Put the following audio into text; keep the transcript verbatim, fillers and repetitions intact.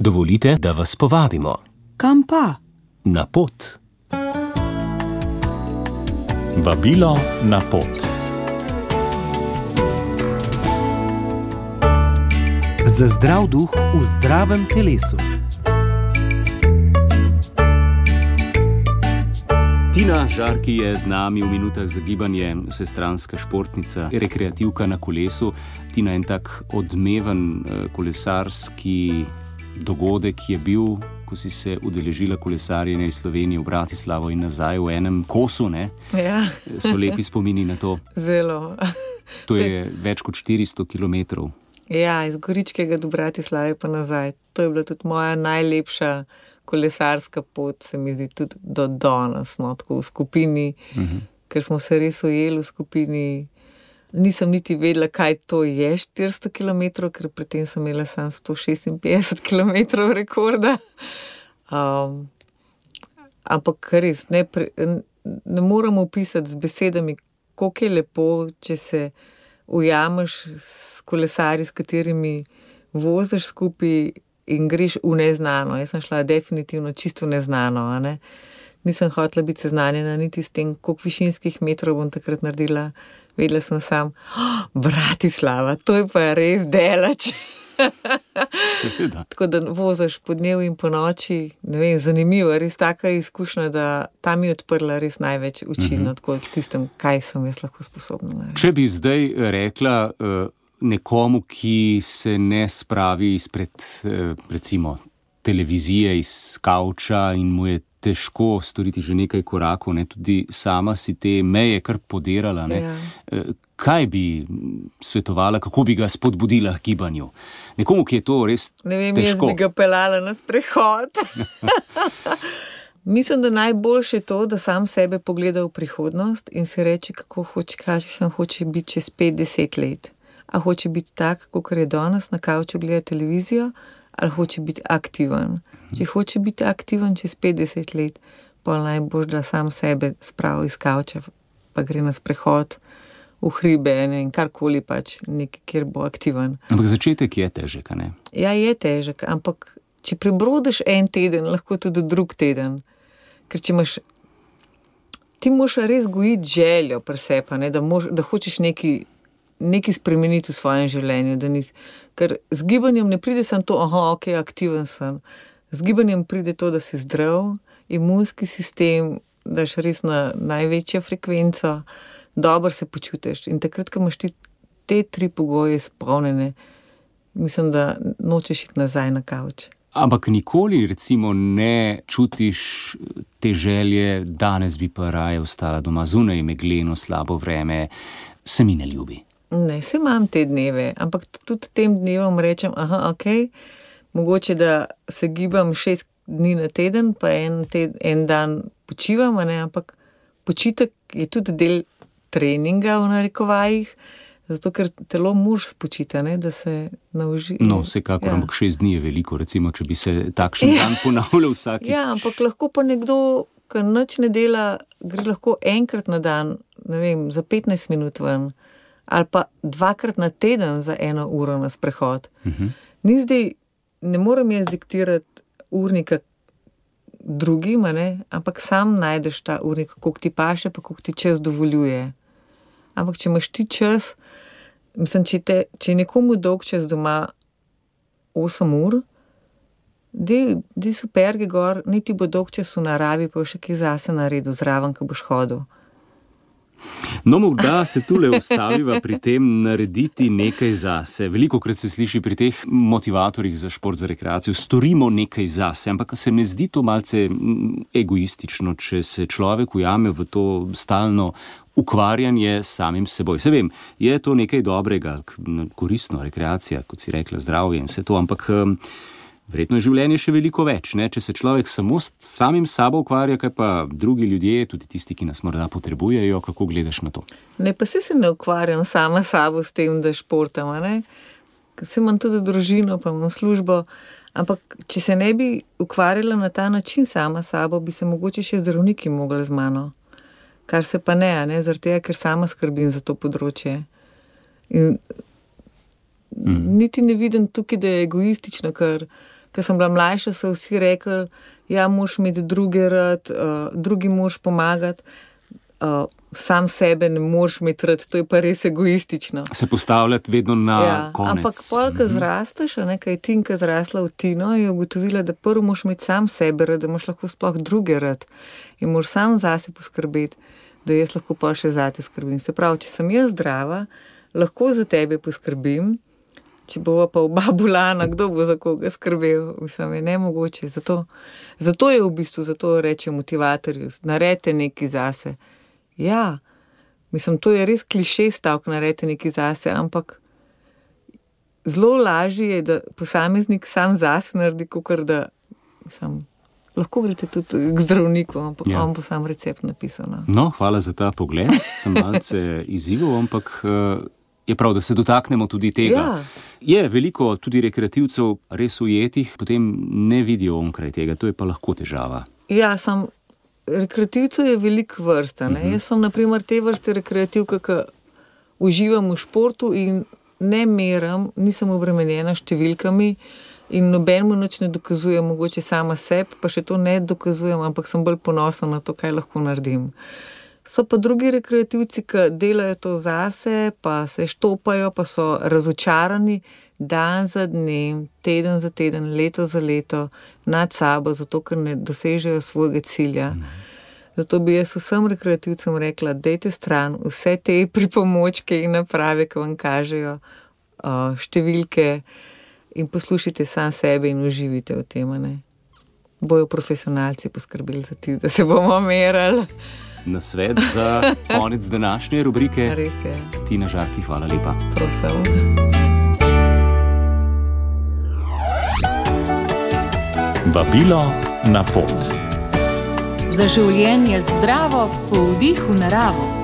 Dovolite, da vas povabimo. Kam pa? Na pot. Vabilo na pot. Za zdrav duh v zdravem telesu. Tina Žarki je z nami v minutah za gibanje, vsestranska športnica, rekreativka na kolesu. Tina, en tak odmeven kolesarski dogodek je bil, ko si se udeležila kolesarjenja iz Slovenije v Bratislavo in nazaj v enem kosu, ne? Ja. So lepi spomini na to. Zelo. To je več kot štiristo kilometrov. Ja, iz Goričkega do Bratislave pa nazaj. To je bila tudi moja najlepša kolesarska pot, se mi zdi tudi do danes, no, tako v skupini, uh-huh. ker smo se res ujeli v skupini. Nisem niti vedela, kaj to je štiristo kilometrov, ker pri tem sem imela samo sto šestinpetdeset kilometrov rekorda. Um, ampak res, ne, pre, ne moramo opisati z besedami, koliko je lepo, če se ujameš s kolesarji, s katerimi voziš skupaj in greš v neznano. Jaz sem šla definitivno čisto neznano, a ne. Nisem hotela biti seznanjena niti s tem, koliko višinskih metrov bom takrat naredila. Vedela sem sam, oh, Bratislava, to je pa res daleč. Tako da voziš po dnevu in po noči, ne vem, zanimivo, res taka izkušnja, da ta mi je odprla res največ oči, mm-hmm. tako tistem, kaj sem jaz lahko sposobna narediti. Če bi zdaj rekla uh, nekomu, ki se ne spravi izpred, uh, recimo, televizije, iz kavča in mu je težko storiti že nekaj korakov, ne, tudi sama si te meje kar podirala, ne. Ja. Kaj bi svetovala, kako bi ga spodbudila k gibanju? Nekomu, ki je to res težko. Ne vem, težko. Jaz bi ga pelala na sprehod. Mislim, da najboljše je to, da sam sebe pogleda v prihodnost in si reče, kako hoče, kakšen hoče biti čez pet deset let. A hoče biti tak, kakor je danes na kavču gleda televizijo, ali hoče biti aktiven. Če hoče biti aktiven čez petdeset let, pa najbolj, da sam sebe spravi iz kavča, pa gre na sprehod v hribe, ne, in karkoli pač, nekaj, kjer bo aktiven. Ampak začetek je težek, a ne? Ja, je težek, ampak če prebrodiš en teden, lahko tudi drug teden. Ker če imaš, ti moraš res gojiti željo pri sebi, ne, da, mož, da hočeš nekaj, nekaj spremeniti v svojem življenju. Da nis, ker z gibanjem ne pride samo to, aha, ok, aktiven sem. Z gibanjem pride to, da si zdrav, imunski sistem, daš res na največjo frekvenco, dobro se počutiš. In takrat, ko imaš ti te tri pogoje izpolnjene, mislim, da nočeš iti nazaj na kavč. Ampak nikoli, recimo, ne čutiš te želje, danes bi pa raje ostala doma zunaj, megleno, slabo vreme, se mi ne ljubi. Ne, se imam te dneve, ampak tudi tem dnevom rečem, aha, okej, okay, mogoče, da se gibam šest dni na teden, pa en, teden, en dan počivam, ne? Ampak počitek je tudi del treninga v narekovajih, zato ker telo moraš spočiti, ne? Da se nauži. No, vsekakor, ja. Ampak šest dni je veliko, recimo, če bi se takšen dan ponavljal vsakič. Ja, ampak lahko pa nekdo, ki nič ne dela, gre lahko enkrat na dan, ne vem, za petnajst minut ven, ali pa dvakrat na teden za eno uro na sprehod. Uh-huh. Ni zdaj, ne morem jaz diktirati urnika drugim, ne? Ampak sam najdeš ta urnik, koliko ti paše, pa koliko ti čas dovoljuje. Ampak če imaš ti čas, mislim, če, te, če je nekomu dolg čas doma osem ur, di superge gor, niti bo dolg čas v naravi, pa še kaj zase naredil zraven, ko boš hodil. No, morda se tule ustaviva pri tem narediti nekaj zase. Velikokrat se sliši pri teh motivatorjih za šport, za rekreacijo, storimo nekaj zase, ampak se mi zdi to malce egoistično, če se človek ujame v to stalno ukvarjanje samim seboj. Se vem, je to nekaj dobrega, koristno, rekreacija, kot si rekla, zdravje in vse to, ampak verjetno je življenje še veliko več, ne? Če se človek samo s samim sabo ukvarja, kaj pa drugi ljudje, tudi tisti, ki nas morda potrebujejo, kako gledaš na to? Ne, pa se se ne ukvarjam sama sabo s tem, da športam, ne? Se imam tudi družino, pa imam službo, ampak če se ne bi ukvarjala na ta način sama sabo, bi se mogoče še zdravniki mogli z mano. Kar se pa ne, ne? Zaradi tega, ker sama skrbim za to področje. In mm. niti ne vidim tukaj, da je egoistično, ker Ko sem bila mlajša, so vsi rekli, ja, moraš imeti druge rad, uh, drugi moraš pomagati, uh, sam sebe ne moraš imeti rad, to je pa res egoistično. Se postavljati vedno na ja, konec. Ampak pol, ko zrasteš, a nekaj Tinka zrasla v Tino, je ugotovila, da prvo moraš imeti sam sebe rad, da imaš lahko sploh druge rad in moraš sam zase poskrbeti, da jaz lahko pa še zate skrbim. Se pravi, če sem jaz zdrava, lahko za tebe poskrbim, če bova pa oba bolana, kdo bo za koga skrbel, mislim, je nemogoče. Zato, zato je v bistvu, zato reče motivatorju, naredite nekaj zase. Ja, mislim, to je res kliše stavk, naredite nekaj zase, ampak zelo lažje je, da posameznik sam zase naredi, kakor da, mislim, lahko greste tudi k zdravniku, ampak ja. On bo sam recept napisal. No. no, hvala za ta pogled, sem malce izzival, ampak je prav, da se dotaknemo tudi tega. Ja. Je veliko tudi rekreativcev res ujetih, potem ne vidijo onkraj tega, to je pa lahko težava. Ja, sem, rekreativcev je veliko vrsta. Ne? Uh-huh. Jaz sem naprimer te vrste rekreativka, ki uživam v športu in ne meram, nisem obremenjena številkami in nobenemu nič ne dokazujem, mogoče sama sebi, pa še to ne dokazujem, ampak sem bolj ponosna na to, kaj lahko naredim. So pa drugi rekreativci, ki delajo to zase, pa se štopajo, pa so razočarani dan za dnem, teden za teden, leto za leto nad sabo, zato ker ne dosežejo svojega cilja. Zato bi jaz vsem rekreativcem rekla, dajte stran vse te pripomočke in naprave, ki vam kažejo uh, številke in poslušajte sam sebe in uživite v tem. Ne? Bojo profesionalci poskrbeli za ti, da se bomo merali. Na svet za konec današnje rubrike. Res je. Tina Žarki, hvala lepa. Prosim. Vabilo na pot. Za življenje zdravo, po vdihu naravo.